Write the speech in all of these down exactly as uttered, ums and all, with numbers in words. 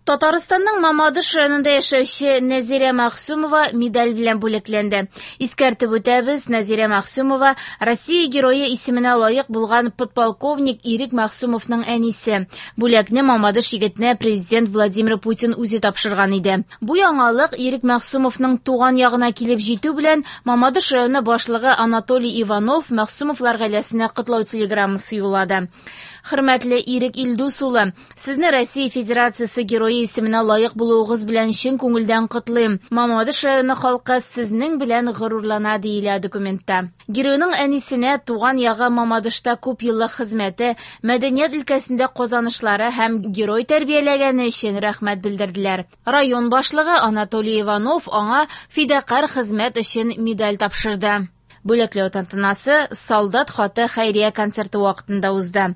Татарстанның Мамадыш районында яшәүче Нәзирә Мәгъсүмова медаль белән бүләкләнде. Искәртеп үтәбез, Нәзирә Мәгъсүмова Россия Герое исеменә лаек булган подполковник Ирек Мәгъсүмовның әнисе. Бүләкне Мамадыш егетенә президент Владимир Путин үзе тапшырган иде. Бу яңалык Ирек Мәгъсүмовның туган ягына килеп җитү белән Мамадыш районы башлыгы Анатолий Иванов Мәгъсүмовлар гаиләсенә котлау телеграммасы юллады. Хөрмәтле Ирек Илдус улы, сезне Россия Федерациясе Герое исеменә лаек булуыгыз белән чын күңелдән котлыйм. Мамадыш районы халкы сезнең белән горурлана, диелә документта. Геройның әнисенә туган ягы Мамадышта күп еллык хезмәте, мәдәният өлкәсендә казанышлары һәм герой тәрбияләгәне өчен рәхмәт белдерделәр. Район башлыгы Анатолий Иванов аңа фидакарь хезмәт өчен медаль тапшырды. Бүләкләү тантанасы «Солдат хаты» хәйрия концерты вакытында узды.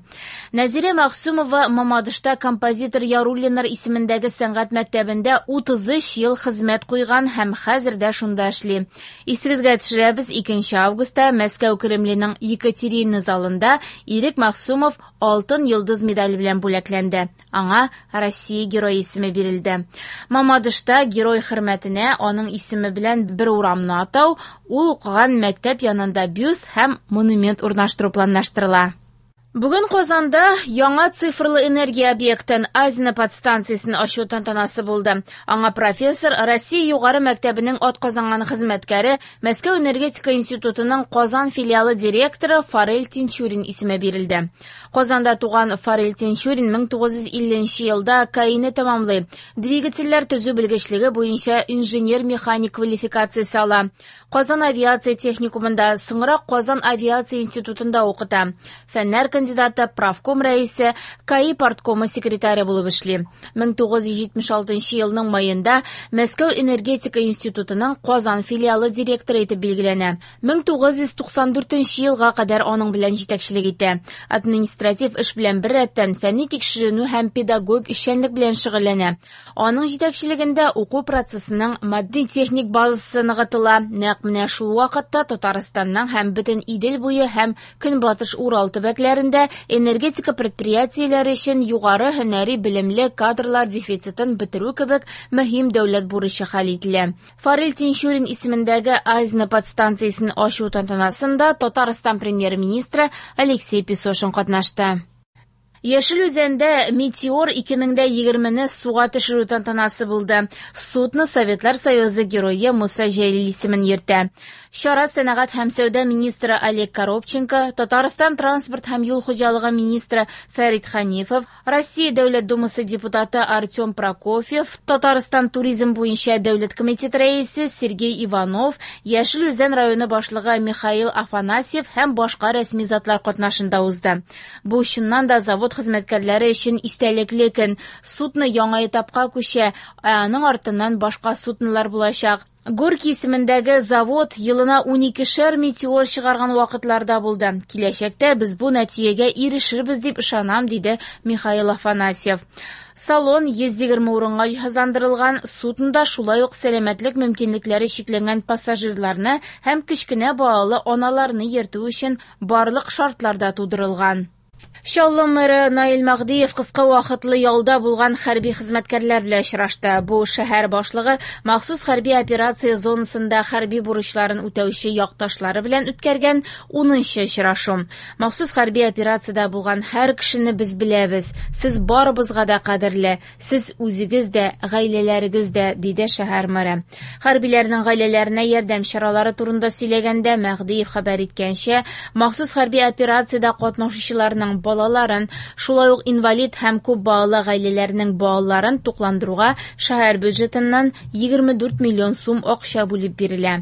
Нәзирә Мәгъсүмова Мамадышта композитор Яруллиннар исемендәге сәнгать мәктәбендә утыз өч ел хезмәт куйган һәм хәзер дә шунда эшли. Исегезгә төшерәбез, икенче августта Мәскәү Кремленең Екатерина залында Ирек Мәгъсүмов Алтын йолдыз медале белән бүләкләнде. Аңа Россия Герое исеме бирелде. Мамадышта герой хөрмәтенә аның исеме белән бер урамны атау, ул укыган мәктәп янында бюст һәм монумент урнаштыру планлаштырыла. Бүген Казанда яңа цифрлы энергия объектын Азина подстанциясен ачу тантанасы булды. Аңа профессор, Россия югары мәктәбенең атказанган хезмәткәре, Мәскәү энергетика институтының Казан филиалы директоры Фарель Тинчурин исеме бирелде. Казанда туган Фарель Тинчурин мең тугыз йөз илленче елда КАИны тәмамлый. Двигательләр төзү белгечлеге буенча инженер-механик квалификациясе ала. Казан авиация техникумында, соңрак Казан авиация институтында укыта. Фәннәр кандидаты, правком рәисе, КАИ парткомы секретаре булып эшли. мең тугыз йөз җитмеш алтынчы елның майында Мәскәү энергетика институтының Казан филиалы директоры итеп билгеләнә. мең тугыз йөз туксан дүртенче елга кадәр аның белән җитәкчелек итә. Административ эш белән беррәттән фәнни тикшеренү һәм педагогик эшчәнлек белән шөгыльләнә. Аның җитәкчелегендә уку процессының матди-техник базасы ныгытыла. Нәкъ менә шул вакытта Татарстанның һәм бөтен Идел буе һәм Көнбатыш Урал төбәкләрендә энергетика предприятиеләре өчен югары һөнәри белемле кадрлар дефицитын бетерү кебек мөһим дәүләт бурычы хәл ителә. Фарель Тинчурин исемендәге Азина подстанциясен ачу тантанасында Татарстан премьер-министры Алексей Песошин катнашты. Яшел Үзәндә Метеор ике мең дә егермене суга төшерү тантанасы булды. Судно Советлар Союзы герое Муса Җәлил исемен йөртә. Чара сәнәгать һәм сәүдә министры Олег Коробченко, Татарстан транспорт һәм юл хуҗалыгы министры Фәрит Ханифов, Россия Дәүләт Думасы депутаты Артем Прокофьев, Татарстан туризм буенча дәүләт комитеты рәисе Сергей Иванов, Яшел Үзән районы башлыгы Михаил Афанасьев һәм башка рәсми затлар катнашында узды. Бу чыннан да завод хезмәткәрләре өчен истәлекле көн. Судно яңа этапка күчә, ә аның артыннан башка суднолар булачак. Горький исемендәге завод елына уникешәр метеор чыгарган вакытларда булды. Киләчәктә без бу нәтиҗәгә ирешербез дип ышанам, диде Михаил Афанасьев. Салон йөз егерме урынга җиһазландырылган, суднода шулай ук сәламәтлек мөмкинлекләре чикләнгән пассажирларны һәм кечкенә балалы аналарны йөртү өчен барлык шартлар да тудырылган. Чаллы мэры Наил Мәһдиев кыска вакытлы ялда булган хәрби хезмәткәрләр белән очрашты. Бу шәһәр башлыгы махсус хәрби операция зонасында хәрби бурычларын үтәүче якташлары белән үткәргән унынчы очрашу. Махсус хәрби операциядә булган һәр кешене без беләбез. Сез барыбызга да кадерле, сез үзегез дә, гаиләләрегез дә, диде шәһәр мэры. Хәрбиләрнең гаиләләренә ярдәм чаралары турында сөйләгәндә Мәһдиев хәбәр иткәнчә, махсус хәрби операциядә катнашучыларның балаларын, шулай ук инвалид һәм күп балалы гаиләләрнең балаларын тукландыруга шәһәр бюджетыннан егерме дүрт миллион сум акча бүлеп бирелә.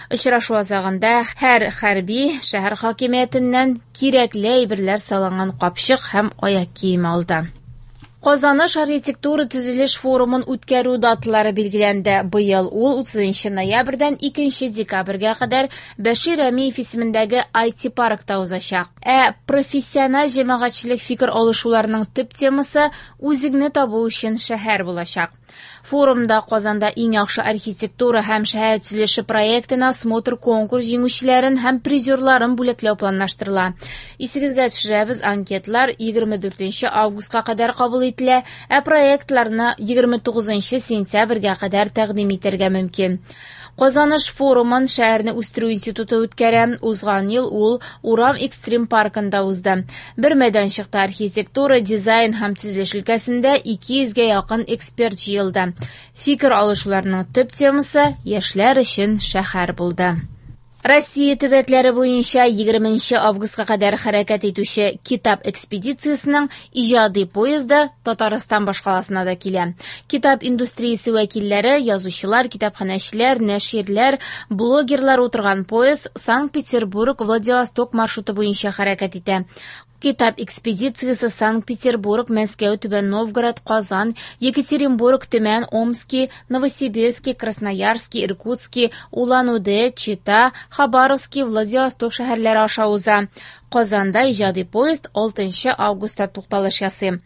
Очрашу азагында һәр хәрби шәһәр хакимиятеннән кирәкле әйберләр салынган капчык һәм аяк киеме алды. Казаныш архитектура төзелеш форумын үткәрү даталары билгеләнде. Быел ул утызынчы ноябрьдән икенче декабрьгә кадәр Бәшир Рәмиев исемендәге ай ти паркта узачак. Ә профессиональ җәмәгатьчелек фикер алышуларының төп темасы үзеңне табу өчен шәһәр булачак. Форумда Казанда иң яхшы архитектура һәм шәһәр төзелеше проектына смотр конкурс җиңүчеләрен һәм призерларын бүләкләү планлаштырыла. Исегезгә төшерәбез, анкетлар егерме дүртенче августка кадәр кабул ителә. ителә, ә проектларны егерме тугызынчы сентябрьгә кадәр тәкъдим итәргә мөмкин. Казаныш форумын шәһәрне үстерү институты үткәрә. Узган ел ул Урам экстрим паркында узды. Бер мәйданчыкта архитектура, дизайн һәм төзелеш өлкәсендә ике йөзгә якын эксперт җыелды. Фикер алышуларның төп темасы яшьләр өчен шәһәр булды. Россия төбәкләре буенча егерменче августка кадәр хәрәкәт итүче китап экспедициясенең иҗади поезды Татарстан башкаласына да килә. Китап индустриясе вәкилләре, язучылар, китапханәчеләр, нәширләр, блогерлар утырган поезд Санкт-Петербург-Владивосток маршруты буенча хәрәкәт итә. Китап экспедициясе Санкт-Петербург, Мәскәү, Түбән Новгород, Казан, Екатеринбург, Төмән, Омски, Новосибирский, Красноярский, Иркутский, Улан-Удэ, Чита, Хабаровский, Владивосток шәһәрләре аша уза. Казанда иҗади поезд алтынчы августта тукталыш ясый.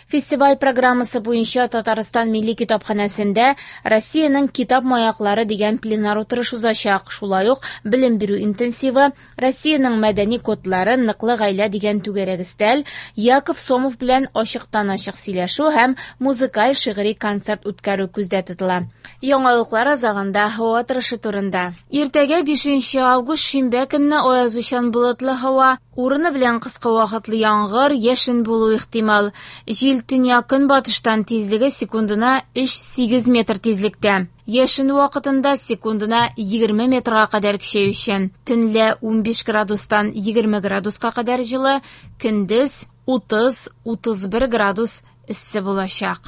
Фестиваль программасы буенча Татарстан Милли китапханәсендә Россиянең китап маяклары дигән пленар утырыш узачак. Шулай ук белем бирү интенсивы, Россиянең мәдәни кодлары, ныклы гаилә дигән түгәрәк өстәл, Яков Сомов белән ачыктан-ачык сөйләшү һәм музыкаль шигъри концерт үткәрү күздә тотыла. Яңалыклар азагында һава торышы турында. Иртәгә бишенче август шимбә көнне аязучан болытлы һава, урыны белән кыска вакытлы яңгыр, яшен булу ихтимал. Җил төньяк көнбатыштан тизлеге секундына өч сигез метр тизлектә. Яшен вакытында секундына егерме метрга кадәр көчәючән. Төнлә унбиш градустан егерме градуска кадәр җылы, көндез утыз, утыз бер градус эссе булачак.